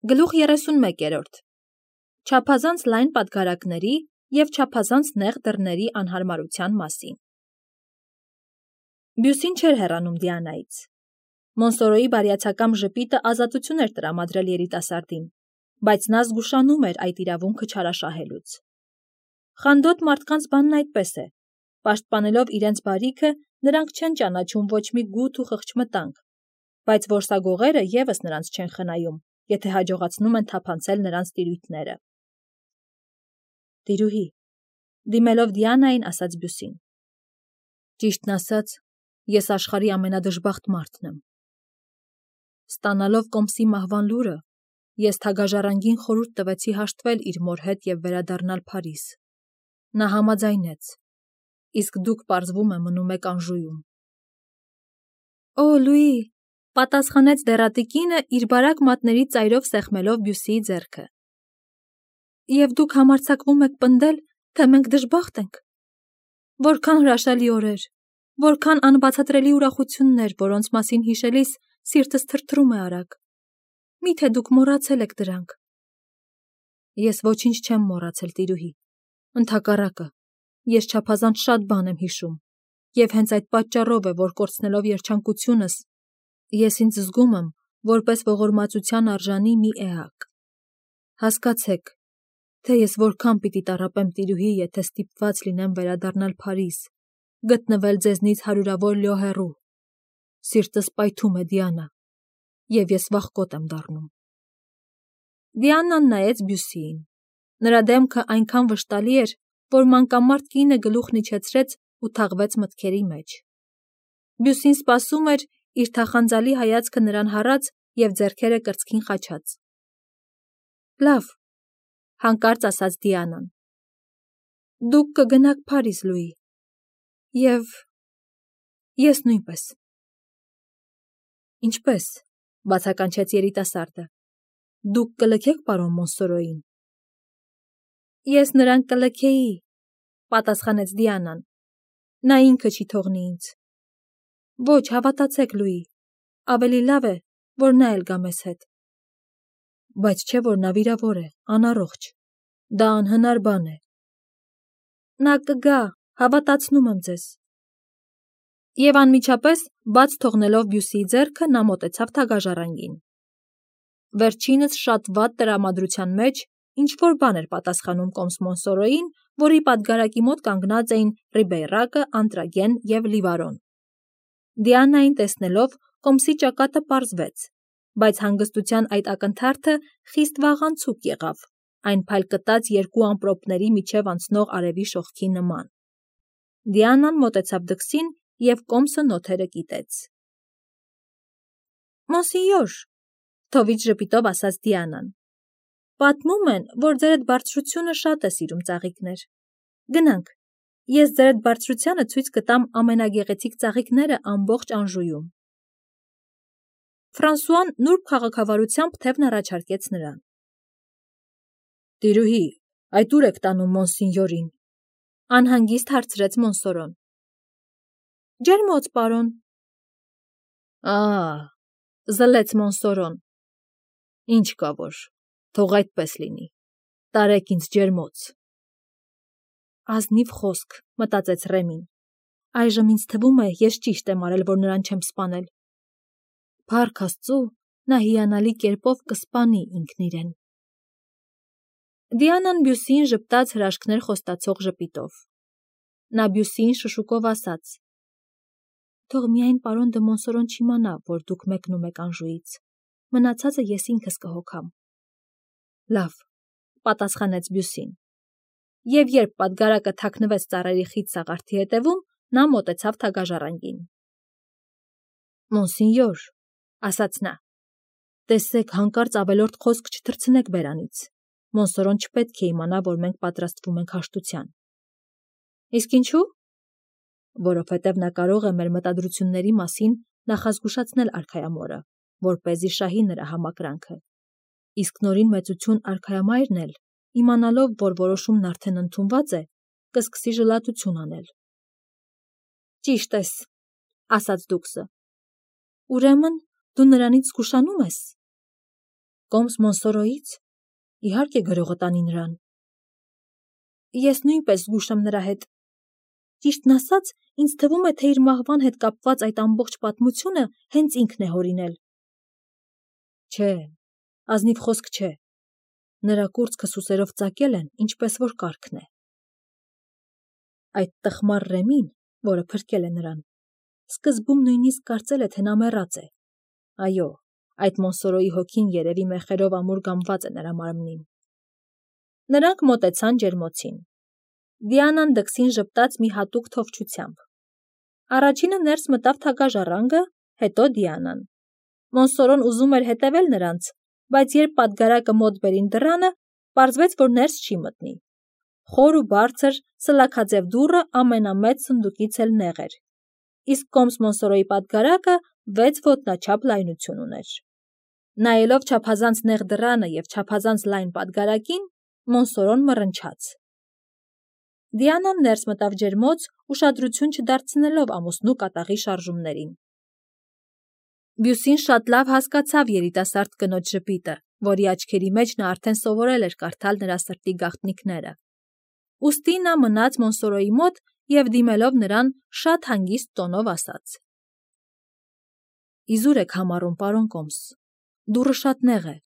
Գլուխ 31. Չափազանց լայն պատգարակների և չափազանց նեղ դռների անհարմարության մասին։ Բյուսին չէր հեռանում Դիանայից։ Մոնսորոյի բարյացակամ ժպիտը ազատություն էր տրամադրել երիտասարդին, բայց նա զգուշանում էր այդ իրավունքը չարաշահելուց։ Խանդոտ մարդկանց բանն այդպես է. պաշտպանելով իրենց բարիքը, նրանք չեն ճանաչում ոչ մի գութ ու խղճմտանք, բայց որսագողերը ևս նրանց չեն խնայում, եթե հաջողացնում են թափանցել նրանց տիրույթները։ Տիրուհի, դիմելով Դիանային, ասաց Բյուսին. ճիշտն ասած, ես աշխարհի ամենադժբախտ մարդն եմ։ Ստանալով Կոմսի մահվան լուրը, ես թագաժառանգին խորհուրդ տվեցի հաշտվել իր մոր հետ և վերադառնալ Փարիզ։ Նա համաձայնեց, իսկ դուք պարզվում է մնում եք Անժուում։ Օ, Լուի, պատասխանեց դեռատի կինը իր բարակ մատների ծայրով սեղմելով Բյուսիի ձեռքը։ Եվ դուք համարձակվում եք պնդել, թե մենք դժբախտ ենք։ Որքան հրաշալի օրեր, որքան անբացատրելի ուրախություններ, որոնց մասին հիշելիս սիրտս թրթռում է արագ։ Միթե դուք մոռացել եք դրանք։ Ես ոչինչ չեմ մոռացել, տիրուհի։ Ընդհակառակը, ես չափազանց շատ բան եմ հիշում, և հենց այդ պատճառով է, որ կորցնելով երջանկությունս, ես ինձ զգում եմ որպես ողորմածության արժանի մի էակ։ Հասկացեք, թե ես որքան պիտի տառապեմ, տիրուհի, եթե ստիպված լինեմ վերադառնալ Փարիզ, գտնվել ձեզնից հարյուրավոր լյո հեռու։ Սիրտս պայթում է, Դիանա, և ես վախկոտ եմ դառնում։ Դիանան նայեց Բյուսիին։ Նրա դեմքը այնքան վշտալի էր, որ մանկամարդ կինը գլուխն իջեցրեց ու թաղվեց մտքերի մեջ։ Բյուսին սպասում էր, իր թախանձալի հայացքը նրան հառած և ձեռքերը կրծքին խաչած։ Լավ, հանկարծ ասաց Դիանան։ Դուք կգնաք Փարիզ, Լուի, և ես նույնպես։ Ինչպե՞ս, բացականչեց երիտասարդը։ Դուք կլքեք պարոն Մոնսորոյին։ Ես նրան կլքեի, պատասխանեց Դիանան։ Նա ինքը չի թողնի ինձ։ Ոչ, հավատացեք, Լուի, ավելի լավ է, որ նա էլ գա մեզ հետ։ Բայց չէ՞ որ նա վիրավոր է, անառողջ։ Դա անհնար բան է։ Նա կգա, հավատացնում եմ ձեզ։ Եվ անմիջապես, բաց թողնելով Բյուսիի ձեռքը, նա մոտեցավ թագաժառանգին։ Վերջինս շատ վատ տրամադրության մեջ ինչ-որ բան էր պատասխանում Կոմս Մոնսորոյին, որի պատգարակի մոտ կանգնած էին Ռիբեյրակը, Անտրագեն և Լիվարոն։ Դիանային տեսնելով, Կոմսի ճակատը պարզվեց, բայց հանգստության այդ ակնթարթը խիստ վաղանցուկ եղավ, այն փայլկտած երկու ամպրոպների միջև անցնող արևի շողքի նման։ Դիանան մոտեցավ դքսին և Կոմսը նոթերը կիտեց։ Մոնսինյոր, թովիչ ժպիտով ասաց Դիանան, պատմում են, որ ձերդ բարձրությունը շատ է սիրում ծաղիկներ։ Գնանք, ես ձերդ բարձրությանը ցույց կտամ ամենագեղեցիկ ծաղիկները ամբողջ Անժուում։ Ֆրանսուան նուրբ քաղաքավարությամբ թևն առաջարկեց նրան։ Տիրուհի, այդ ուր եք տանում Մոնսինյորին, անհանգիստ հարցրեց Մոնսորոն։ Ջերմոց, պարոն։ Զլեց Մոնսորոն։ Ինչ կա որ, թող այդպես լինի, տարեք ինձ ջերմոց։ Ազնիվ խոսք, մտածեց Ռեմին։ Այժմ ինձ թվում է, ես ճիշտ եմ արել, որ նրան չեմ սպանել։ Փառք Աստծու, նա հիանալի կերպով կսպանի ինքն իրեն։ Դիանան Բյուսիին ժպտաց հրաշքներ խոստացող ժպիտով։ Նա Բյուսիին շշուկով ասաց. Թող միայն պարոն դը Մոնսորոն չիմանա, որ դուք մեկնում եք Անժուից։ Մնացածը ես ինքս կհոգամ։ Լավ, պատասխանեց Բյուսին։ Եվ երբ պատգարակը թաքնվեց ծառերի խիտ սաղարթի հետևում, նա մոտեցավ թագաժառանգին։ Մոնսինյոր, ասաց նա, տեսեք, հանկարծ ավելորդ խոսք չթռցնեք բերանից։ Մոնսորոն չպետք է իմանա, որ մենք պատրաստվում ենք հաշտության։ Իսկ ինչու՞։ Որովհետև նա կարող է մեր մտադրությունների մասին նախազգուշացնել արքայամորը, որպեսզի շահի նրա համակրանքը։ Իսկ նորին մեծություն արքայամայրն էլ, իմանալով, որ որոշումն արդեն ընդունված է, կսկսի ժլատություն անել։ Ճիշտ ես, ասաց դուքսը։ Ուրեմն դու նրանից զգուշանում ես։ Կոմս Մոնսորոյից, իհարկե գրողը տանի նրան։ Ես նույնպես զգույշ եմ նրա հետ։ Ճիշտն ասած, ինձ թվում է, թե իր մահվան հետ կապված այդ ամբողջ պատմությունը հենց ինքն է հորինել։ Չէ, ազնիվ խոսք չէ։ Նրա կուրծքը սուսերով ծակել են, ինչպես որ կարգն է։ Այդ տխմար Ռեմին, որը փրկել է նրան, սկզբում նույնիսկ կարծել է, թե նա մեռած է։ Այո, այդ Մոնսորոյի հոգին երևի մեխերով ամուր գամված է նրա մարմնին։ Նրանք մոտեցան ջերմոցին։ Դիանան դքսին ժպտաց մի հատուկ թովչությամբ։ Առաջինը ներս մտավ թագաժառանգը, հետո Դիանան։ Մոնսորոն ուզում էր հետևել նրանց, բայց երբ պատգարակը մոտ բերին դռանը, պարզվեց, որ ներս չի մտնի։ Խոր ու բարձր, սլաքաձև դուռը ամենամեծ սնդուկից էլ նեղ էր, իսկ Կոմս Մոնսորոյի պատգարակը 6 ոտնաչափ լայնություն ուներ։ Նայելով չափազանց նեղ դռանը և չափազանց լայն պատգարակին, Մոնսորոն մռնչաց։ Դիանան ներս մտավ ջերմոց, ուշադրություն չդարձնելով ամուսնու կատաղի շարժումներին։ Բյուսին շատ լավ հասկացավ երիտասարդ կնոջ ժպիտը, որի աչքերի մեջ նա արդեն սովորել էր կարդալ նրա սրտի գաղտնիքները։ Ուստի նա մնաց Մոնսորոյի մոտ և դիմելով նրան շատ հանգիստ տոնով ասաց. Իզուր եք համառում, պարոն Կոմս, դուռը շատ նեղ է,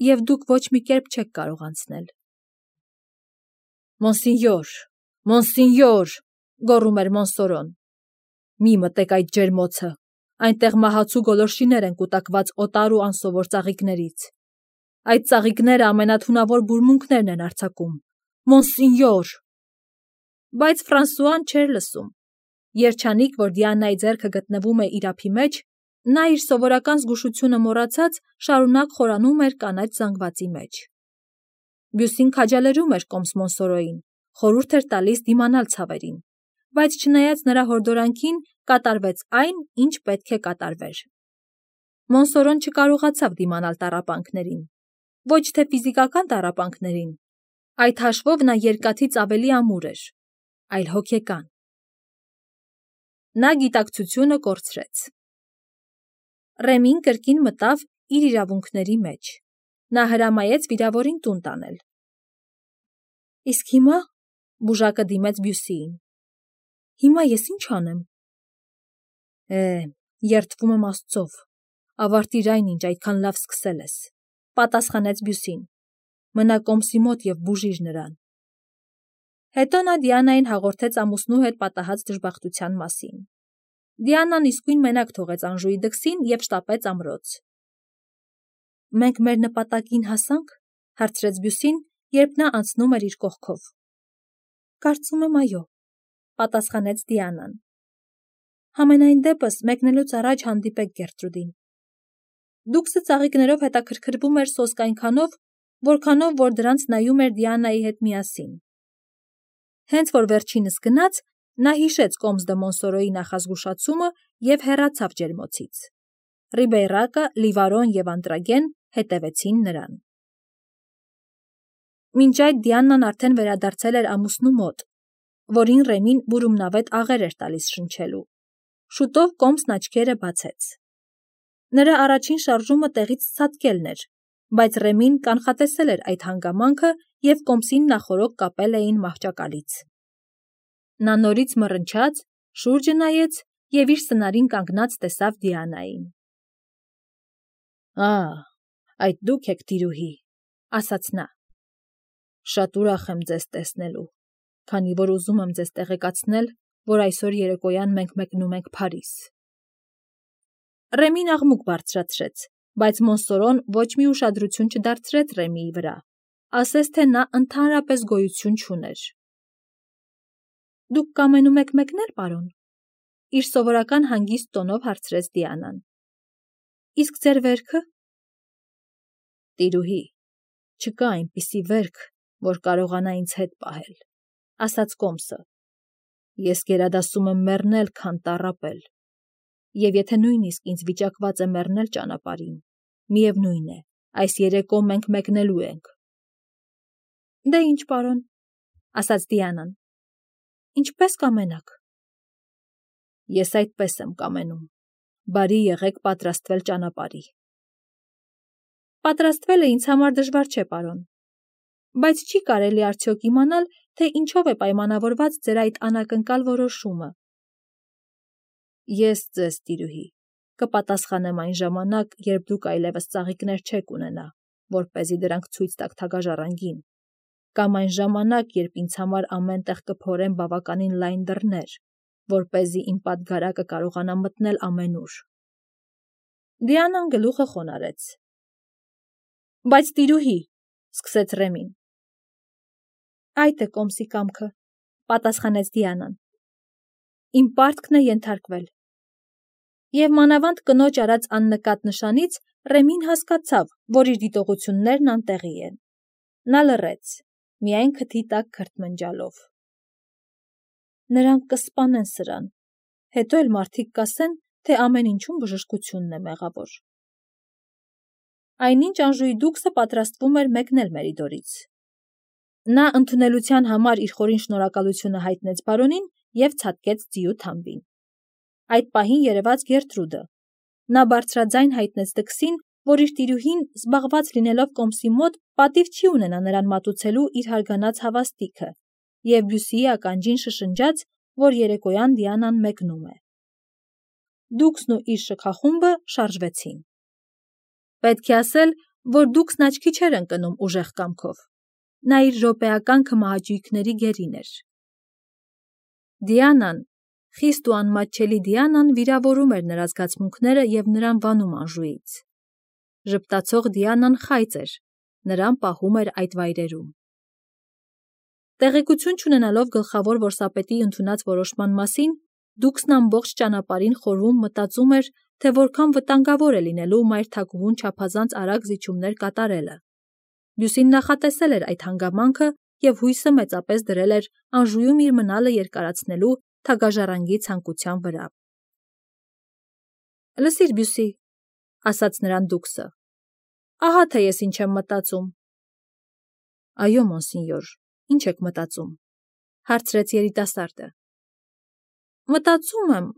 և դուք ոչ մի կերպ չեք կարող անցնել։ Մոնսինյոր, Մոնսինյոր, գոռում էր Մոնսորոն, մի մտեք այդ ջերմոցը, այնտեղ մահացու գոլորշիներ են կուտակված օտար ու անսովոր ծաղիկներից։ Այդ ծաղիկները ամենաթունավոր բուրմունքներն են արձակում։ Մոնսինյոր։ Բայց Ֆրանսուան չէր լսում։ Երջանիկ, որ Դիանայի ձեռքը գտնվում է իր ափի մեջ, նա իր սովորական զգուշությունը մոռացած շարունակ խորանում էր կանաչ զանգվածի մեջ։ Բյուսին քաջալերում էր Կոմս Մոնսորոյին, խորհուրդ էր տալիս դիմանալ ցավերին, բայց չնայած նրա հորդորանքին կատարվեց այն, ինչ պետք է կատարվեր։ Մոնսորոն չկարողացավ դիմանալ տառապանքներին, ոչ թե ֆիզիկական տառապանքներին, այդ հաշվով նա երկաթից ավելի ամուր էր, այլ հոգեկան։ Նա գիտակցությունը կորցրեց։ Ռեմին կրկին մտավ իր իրավունքների մեջ։ Նա հրամայեց վիրավորին տուն տանել։ Իսկ հիմա, բուժակը դիմեց Բյուսիին, հիմա ես ինչ անեմ։ Երդվում եմ Աստծով, ավարտիր այն, ինչ այդքան լավ սկսել ես, պատասխանեց Բյուսին, մնա Կոմսի մոտ և բուժիր նրան։ Հետո նա Դիանային հաղորդեց ամուսնու հետ պատահած դժբախտության մասին։ Դիանան իսկույն մենակ թողեց Անժուի դքսին և շտապեց ամրոց։ Մենք մեր նպատակին հասա՞նք, հարցրեց Բյուսին, երբ նա անցնում էր իր կողքով։ Կարծում եմ այո, պատասխանեց Դիանան։ Համենայն դեպս մեկնելուց առաջ հանդիպեք Գերտրուդին։ Դուքսը ծաղիկներով հետաքրքրվում էր սոսկ այնքանով, որքանով որ դրանց նայում էր Դիանայի հետ միասին։ Հենց որ վերջինս գնաց, նա հիշեց Կոմս դե Մոնսորոյի նախազգուշացումը և հեռացավ ջերմոցից։ Ռիբեյրակը, Լիվարոն և Անտրագեն հետևեցին նրան։ Մինչ այդ Դիանան արդեն վերադարձել էր ամուսնու մոտ, որին Ռեմին բուրումնավետ աղեր էր տալիս շնչելու։ Շուտով Կոմսն աչքերը բացեց։ Նրա առաջին շարժումը տեղից ցատկելն էր, բայց Ռեմին կանխատեսել էր այդ հանգամանքը և Կոմսին նախօրոք կապել էին մահճակալից։ Նա նորից մռնչաց, շուրջը նայեց և իր սնարին կանգնած տեսավ Դիանային։ Այդ դուք եք, տիրուհի, ասաց նա։ Շատ ուրախ եմ ձեզ տեսնելու, քանի որ ուզում եմ ձեզ տեղեկացնել, որ այսօր երեկոյան մենք մեկնում ենք Փարիզ։ Ռեմին աղմուկ բարձրացրեց, բայց Մոնսորոն ոչ մի ուշադրություն չդարձրեց Ռեմիի վրա, ասես թե նա ընդհանրապես գոյություն չուներ։ Դուք կամենում եք մեկնել, պարոն, իր սովորական հանգիստ տոնով հարցրեց Դիանան։ Իսկ ձեր վերքը։ Տիրուհի, չկա այնպիսի վերք, որ կարողանա ինձ հետ պահել, ասաց Կոմսը։ Ես գերադասում եմ մեռնել, քան տառապել։ Եվ եթե նույնիսկ ինձ վիճակված է մեռնել ճանապարհին, միևնույն է, այս երեկո մենք մեկնելու ենք։ Դե ինչ, պարոն, ասաց Դիանան։ Ինչպես կամենաք։ Ես այդպես եմ կամենում։ Բարի եղեք պատրաստվել ճանապարհի։ Պատրաստվելը ինձ համար դժվար չէ, պարոն, բայց չի կարելի արդյոք իմանալ, թե ինչով է պայմանավորված ձեր այդ անակնկալ որոշումը։ Ես ձեզ, տիրուհի, կպատասխանեմ այն ժամանակ, երբ դուք այլևս ծաղիկներ չեք ունենա, որպեսզի դրանք ցույց տաք թագաժառանգին, կամ այն ժամանակ, երբ ինձ համար ամեն տեղ կփորեն բավականին լայն դռներ, որպեսզի իմ պատգարակը կարողանա մտնել ամենուր։ Դիանան գլուխը խոնարհեց։ Բայց տիրուհի, սկսեց Ռեմին։ Այդ է կոմսի կամքը, պատասխանեց Դիանան։ Իմ պարտքն է ենթարկվել։ Եվ մանավանդ կնոջ արած աննկատ նշանից Ռեմին հասկացավ, որ իր դիտողություններն անտեղի են։ Նա լռեց, միայն քթի տակ քրթմնջալով։ Նրանք կսպանեն սրան, հետո էլ մարդիկ կասեն, թե ամեն ինչում բժշկությունն է մեղավոր։ Այնինչ Անժուի դուքսը պատրաստվում էր մեկնել Մերիդորից։ Նա ընդունելության համար իր խորին շնորհակալությունը հայտնեց բարոնին և ցատկեց ձիու թամբին։ Այդ պահին երևաց Գերտրուդը։ Նա բարձրաձայն հայտնեց դքսին, որ իր տիրուհին, զբաղված լինելով կոմսի մոտ, պատիվ չի ունենա նրան մատուցելու իր հարգանած հավաստիքը, և Բյուսիի ականջին շշնջաց, որ երեկոյան Դիանան մեկնում է։ Դուքսն ու իր շքախումբը շարժվեցին։ Պետք է ասել, որ դուքսն աչքի չէր ընկնում ուժեղ կամքով։ Նա իր րոպեական քմահաճույքների գերին էր։ Դիանան, խիստ ու անմատչելի Դիանան վիրավորում էր նրա զգացմունքները և նրան վանում Անժուից։ Ժպտացող Դիանան խայծ էր, նրան պահում էր այդ վայրերում։ Տեղեկություն չունենալով գլխավոր որսապետի ընդունած որոշման մասին, դուքսն ամբողջ ճանապարհին խորհում մտածում էր, թե որքան վտանգավոր է լինելու մայրթագուհուն չափազանց արագ զիջումներ կատարելը։ Բյուսին նախատեսել էր այդ հանգամանքը և հույսը մեծապես դրել էր Անժուում իր մնալը երկարացնելու թագաժառանգի ցանկության վրա։ Լսիր, Բյուսի, ասաց նրան դուքսը, ահա թե ես ինչ եմ մտածում։ Այո, մոնսինյոր, ինչ եք մտածում, հարցրեց երիտասարդը։ Մտածում եմ,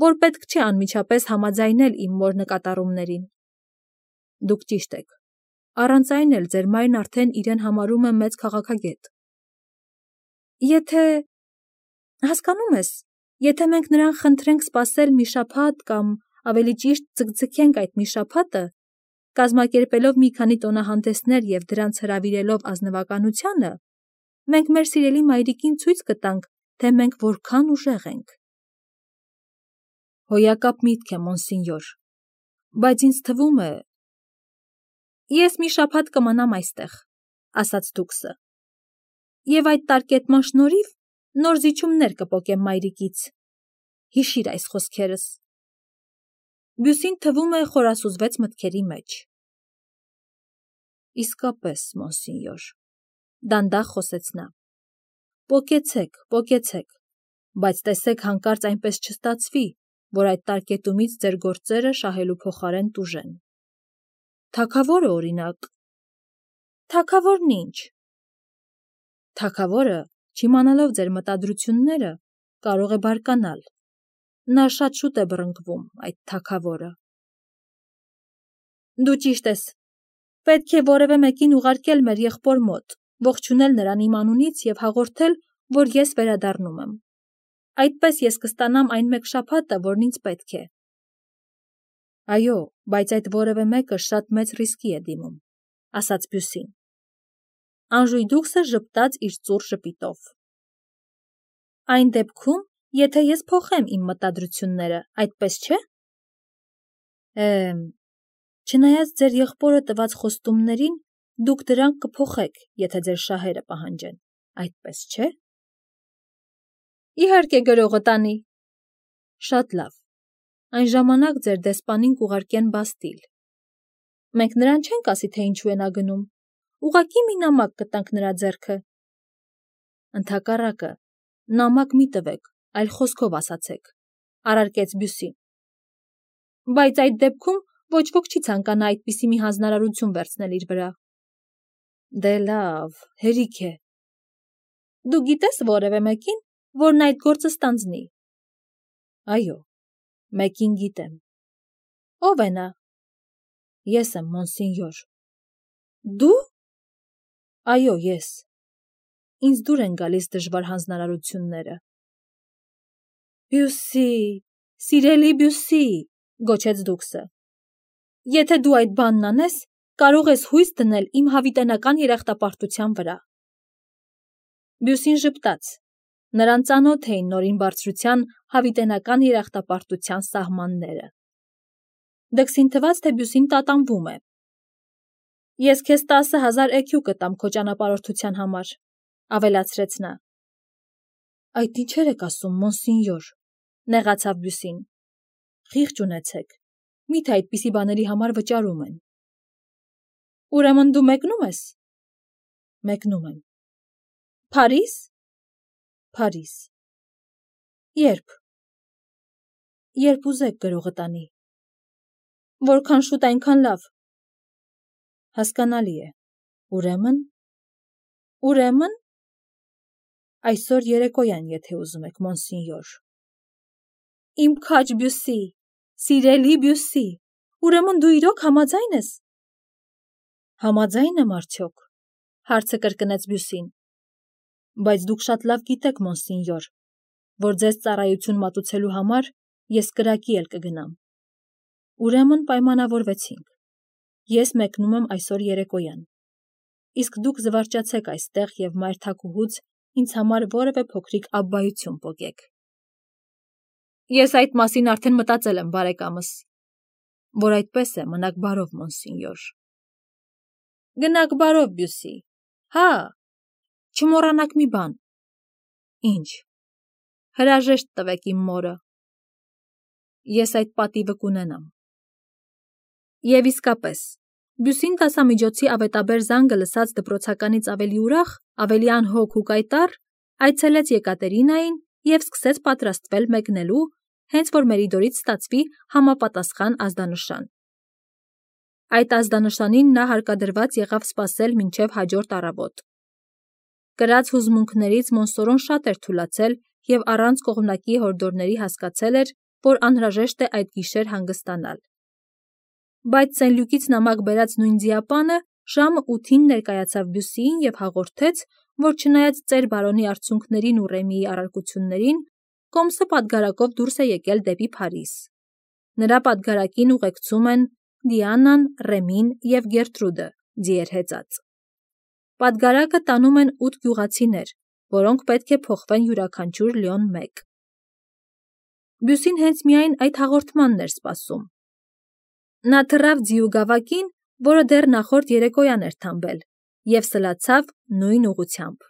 որ պետք չէ անմիջապես համաձայնել իմ մոր նկատառումներին։ Դուք ճիշտ եք, առանց այն էլ ձեր մայրն արդեն իրեն համարում է մեծ քաղաքագետ։ Եթե, հասկանում ես, եթե մենք նրան խնդրենք սպասել մի շաբաթ կամ ավելի ճիշտ ձգձգենք այդ մի շաբաթը, կազմակերպելով մի քանի տոնահանդեսներ և դրանց հրավիրելով ազնվականությանը, մենք մեր սիրելի մայրիկին ցույց կտանք, թե մենք որքան ուժեղ ենք։ Հոյակապ միտք է, մոնսինյոր, բայց ինձ թվում է… Ես մի շաբաթ կմնամ այստեղ, ասաց դուքսը, և այդ տարկետման շնորհիվ նոր զիջումներ կպոկեմ մայրիկից։ Հիշիր այս խոսքերս։ Բյուսին թվում է խորասուզվեց մտքերի մեջ։ Իսկապես, մոնսինյոր, դանդաղ խոսեց նա։ Պոկեցեք, բայց տեսեք հանկարծ այնպես չստացվի, որ այդ տարկետումից ձեր գործերը շահելու փոխարեն տուժեն։ Թագավորը, օրինակ։ Թագավորն ինչ։ Թագավորը, չիմանալով ձեր մտադրությունները, կարող է բարկանալ։ Նա շատ շուտ է բռնկվում, այդ թագավորը։ Դու ճիշտ ես։ Պետք է որևէ մեկին ուղարկել մեր եղբոր մոտ, ողջունել նրան իմ անունից և հաղորդել, որ ես վերադառնում եմ։ Այդպես ես կստանամ այն մեկ շաբաթը, որն ինձ պետք է։ Այո, բայց այդ որևէ մեկը շատ մեծ ռիսկի է դիմում, ասաց Բյուսին։ Անժուի դուքսը ժպտաց իր ծուռ ժպիտով։ Այն դեպքում, եթե ես փոխեմ իմ մտադրությունները, այդպես չէ։ Չնայած ձեր եղբորը տված խոստումներին, դուք դրանք կփոխեք, եթե ձեր շահերը պահանջեն, այդպես չէ։ Իհարկե գրողը տանի։ Շատ լավ։ Այն ժամանակ ձեր դեսպանին կուղարկեն Բաստիլ։ Մենք նրան չենք ասի, թե ինչու է նա գնում։ Ուղղակի մի նամակ կտանք նրա ձեռքը։ Ընդհակառակը, նամակ մի տվեք, այլ խոսքով ասացեք, առարկեց Բյուսին։ Բայց այդ դեպքում ոչ ոք չի ցանկանա այդպիսի մի հանձնարարություն վերցնել իր վրա։ Դե լավ, հերիք է։ Դու գիտես որևէ մեկին, որն այդ գործը ստանձնի։ Այո, մեկին գիտեմ։ Ո՞վ է նա։ Ես եմ, մոնսինյոր։ Դու։ Այո, ես։ Ինձ դուր են գալիս դժվար հանձնարարությունները։ Բյուսի, սիրելի Բյուսի, գոչեց Դուքսը։ Եթե դու այդ բանն անես, կարող ես հույս դնել իմ հավիտենական երախտապարտության վրա։ Բյուսին ժպտաց։ Նրան ծանոթ էին նորին բարձրության հավիտենական երախտապարտության սահմանները։ Դքսին թվաց, թե Բյուսին տատանվում է։ Ես քեզ 10,000 էքյու կտամ քո ճանապարհորդության համար, ավելացրեց նա։ Այդ ինչեր եք ասում, մոնսինյոր, նեղացավ Բյուսին։ Խիղճ ունեցեք, միթե այդպիսի բաների համար վճարում են։ Ուրեմն դու մեկնում ես։ Մեկնում եմ։ Փարիզ։ Փարիզ։ Երբ։ Երբ ուզեք գրողը տանի։ Որքան շուտ այնքան լավ։ Հասկանալի է։ Ուրեմն։ Ուրեմն։ Այսօր երեկոյան, եթե ուզում եք, մոնսինյոր։ Իմ քաջ Բյուսի, սիրելի Բյուսի, ուրեմն դու իրոք համաձայն ես։ Համաձայն եմ արդյոք, հարցը կրկնեց Բյուսին։ Բայց դուք շատ լավ գիտեք, մոնսինյոր, որ ձեզ ծառայություն մատուցելու համար ես կրակի էլ կգնամ։ Ուրեմն պայմանավորվեցինք։ Ես մեկնում եմ այսօր երեկոյան։ Իսկ դուք զվարճացեք այստեղ և մայր թագուհուց ինձ համար որևէ փոքրիկ աբբայություն պոկեք։ Ես այդ մասին արդեն մտածել եմ, բարեկամս։ Որ այդպես է, մնաք բարով, մոնսինյոր։ Գնաք բարով, Բյուսի։ Հա, չմոռանաք մի բան։ Ինչ։ Հրաժեշտ տվեք իմ մորը։ Ես այդ պատիվը կունենամ։ Եվ իսկապես, Բյուսին դասամիջոցի ավետաբեր զանգը լսած դպրոցականից ավելի ուրախ, ավելի անհոգ ու կայտառ, այցելեց Եկատերինային և սկսեց պատրաստվել մեկնելու, հենց որ Մերիդորից ստացվի համապատասխան ազդանշան։ Այդ ազդանշանին նա հարկադրված եղավ սպասել մինչև հաջորդ առավոտ։ Կրած հուզմունքներից Մոնսորոն շատ էր թուլացել և առանց կողմնակի հորդորների հասկացել էր, որ անհրաժեշտ է այդ գիշեր հանգստանալ։ Բայց Սեն-Լյուկից նամակ բերած նույն ձիապանը ժամը 8-ին ներկայացավ Բյուսիին և հաղորդեց, որ չնայած ծեր բարոնի արցունքներին ու Ռեմիի առարկություններին, կոմսը պատգարակով դուրս է եկել դեպի Փարիզ։ Նրա պատգարակին ուղեկցում են Դիանան, Ռեմին և Գերտրուդը, ձիեր հեծած։ Պատգարակը տանում են 8 գյուղացիներ, որոնք պետք է փոխվեն յուրաքանչյուր լյոն 1։ Բյուսին հենց միայն այդ հաղորդմանն էր սպասում։ Նա թռավ ձիու գավակին, որը դեռ նախորդ երեկոյան էր թամբել, և սլացավ նույն ուղղությամբ։